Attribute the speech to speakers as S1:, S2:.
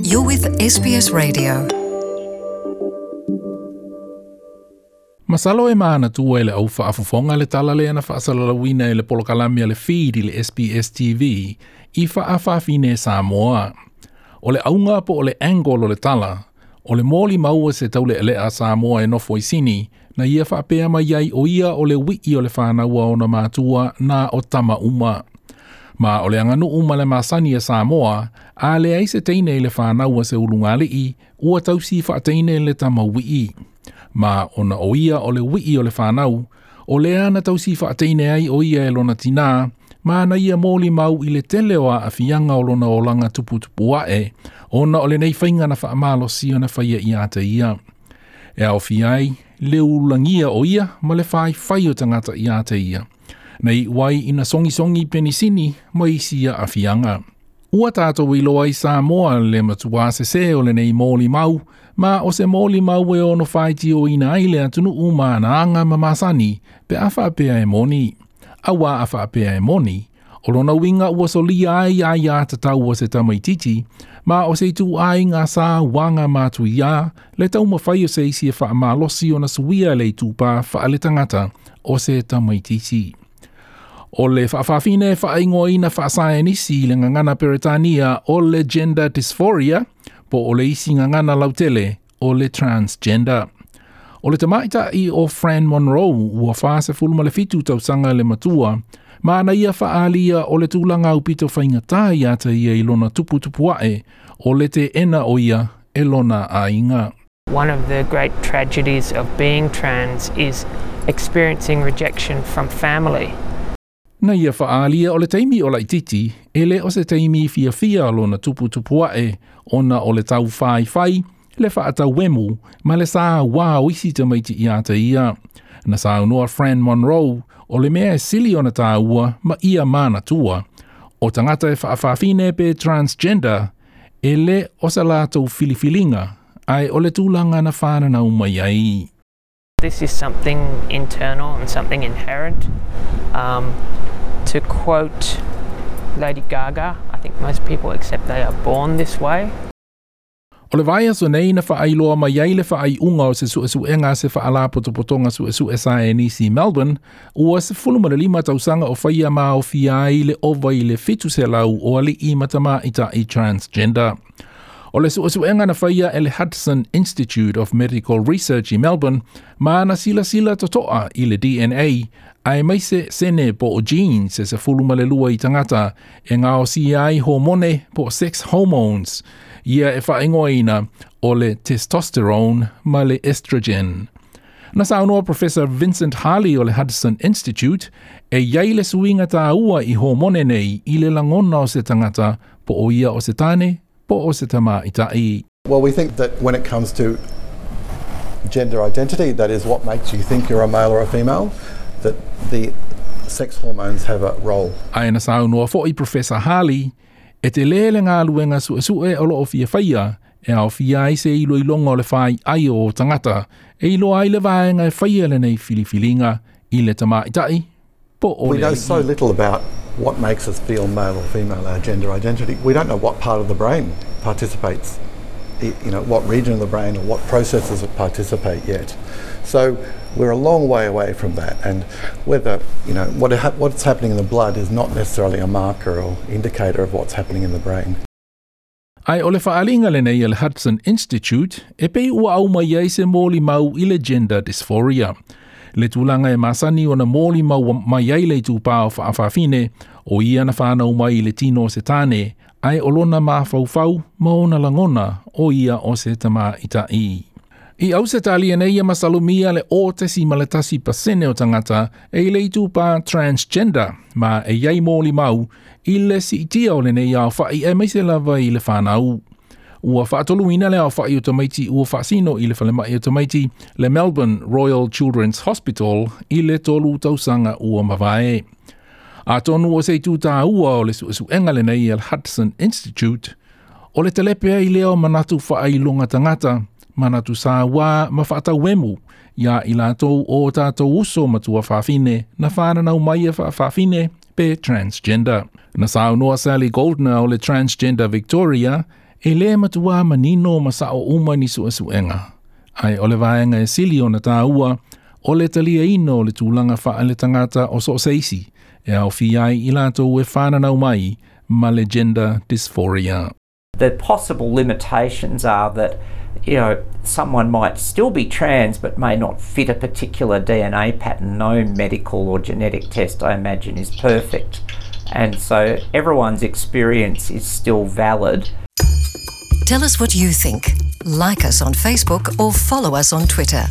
S1: You're with SBS Radio.
S2: Masalo e manatua e le au faafofoga le tala lea na faasalalauina e le polokalame a le Feed i le SBS TV i fa'afafine Samoa. O le auga po o le angle o le tala, o le molimau a se taulealea Samoa e nofo i Sini, na ia faapea mai ai o ia o le ui'i o le fanau a ona matua na o tama uma. Ma o le aganuu ma le masani a Samoa, a leai se teine i le fanau a se ulugalii, ua tausi faateine le tama ui'i. Ma ona o ia o le ui'i o le fanau, o lea na tausi faateine ai o ia e lona tinā, ma na ia molimau i le tele o aafiaga o lona olaga tuputupu a'e, ona o lenei faiga na faamalosi ona faia ia te ia. E aofia ai le ulagia o ia ma le faifai o tagata ia te ia. Na iu ai ina sogisogi penisini ma isi aafiaga. Ua tatou iloa i Samoa le matuā sesē o lenei molimau, ma o se molimau e ono faitioina ai le atunuu ma ana aga ma masani pe a faapea e moni. Auā a faapea e moni, o lona uiga ua solia ai aiā tatau a se tamaititi, ma o se ituaiga sauaga matuiā le taumafai o se isi e faamalosi ona suia le itupā faaletagata o se tamaititi. O le faafafine e faaigoaina faasaenisi i le gagana Peretania o le gender dysphoria, po o le isi gagana lautele o le transgender. O le tamaita'i o Fran Monroe ua 47 tausaga le matua, ma na ia faaalia o le tulaga aupito faigata ia te ia i lona tuputupu a'e o le teena o ia e lona aiga.
S3: One of the great tragedies of being trans is experiencing rejection from family.
S2: Na ia faaalia o le taimi o laititi, e le o se taimi fiafia lona tuputupu a'e ona o le tau faifai, le faatauemu ma le sauā o isi tamaiti ia te ia. Na saunoa Fran Monroe o le mea e sili ona tāua ma ia manatua, o tagata e faafafine pe transgender, e le o sa latou filifiliga, ae o le tulaga na fananau mai ai.
S3: This is something internal and something inherent. To quote Lady Gaga, I think most people accept they are born this way.
S2: O le vaiaso nei na faailoa mai ai le faaiuga o se suesuega a se faalapotopotoga suesue saenisi i Melbourne, ua 15 tausaga o faia ma aofia ai le ova i le 700 o alii ma tamaita'i transgender. O le suesuega na faia e le Hudson Institute of Medical Research i Melbourne, ma na silasila totoa i le DNA, aemaise sene po o genes e 12 i tagata e gaosia ai homone po o sex hormones, ia e faaigoaina o le testosterone ma le estrogen. Na saunoa Professor Vincent Harley o le Hudson Institute e i ai le suiga tāua i homone nei i le lagona o se tagata po o ia o se tane po o se tamaita'i.
S4: Well, we think that when it comes to gender identity, that is what makes you think you're a male or a female, that the sex hormones have a role.
S2: Ae na saunoa fo'i Professor Harley, e telē le galuega suesue o loo fia faia, e aofia ai se iloiloga o le faiai o tagata, e iloa ai le vaega e faia lenei filifiliga i le tamaita'i po o
S4: We
S2: le
S4: know so
S2: alii.
S4: little about what makes us feel male or female, our gender identity. We don't know what part of the brain participates, what region of the brain or what processes it participate yet. So we're a long way away from that, and whether, you know, what what's happening in the blood is not necessarily a marker or indicator of what's happening in the brain.
S2: Ae o le faaaliga lenei a le Hudson Institute e pei ua au mai ai se molimau i le gender dysphoria. Le tulaga e masani ona molimau mai ai le itupā o faafafine, o ia na fanau mai i le tino o se tane, ae o lona mafaufau ma ona lagona o ia o se tamaita'i. I Ausetalia nei e masalomia le 0.1% o tagata e i le itupā transgender, ma e i ai molimau i le siitia o lenei aofa'i aemaise lava i le fanau. Ua faatoluina le aofa'i o tamaiti ua faasino i le falemai o tamaiti le Melbourne Royal Children's Hospital i le 3 tausaga ua mavae. Atonu o se itu tāua o le suesuega lenei a le Hudson Institute, o le telepe ai lea o manatu faailoga tagata, manatu sauā ma faatauemu, ia i latou o tatou uso ma tuafafine na fananau mai e faafafine pe transgender. Na saunoa Sally Goldner o le Transgender Victoria, E lē matuā manino ma sa'o uma ni su'esu'ega, ae o le vaega e sili ona tāua, o le taliaina o le tulaga faaletagata o so o se isi, e aofia ai i latou e fananau mai ma le gender dysphoria.
S5: The possible limitations are that someone might still be trans but may not fit a particular DNA pattern. No medical or genetic test, I imagine, is perfect. And so everyone's experience is still valid.
S1: Tell us what you think. Like us on Facebook or follow us on Twitter.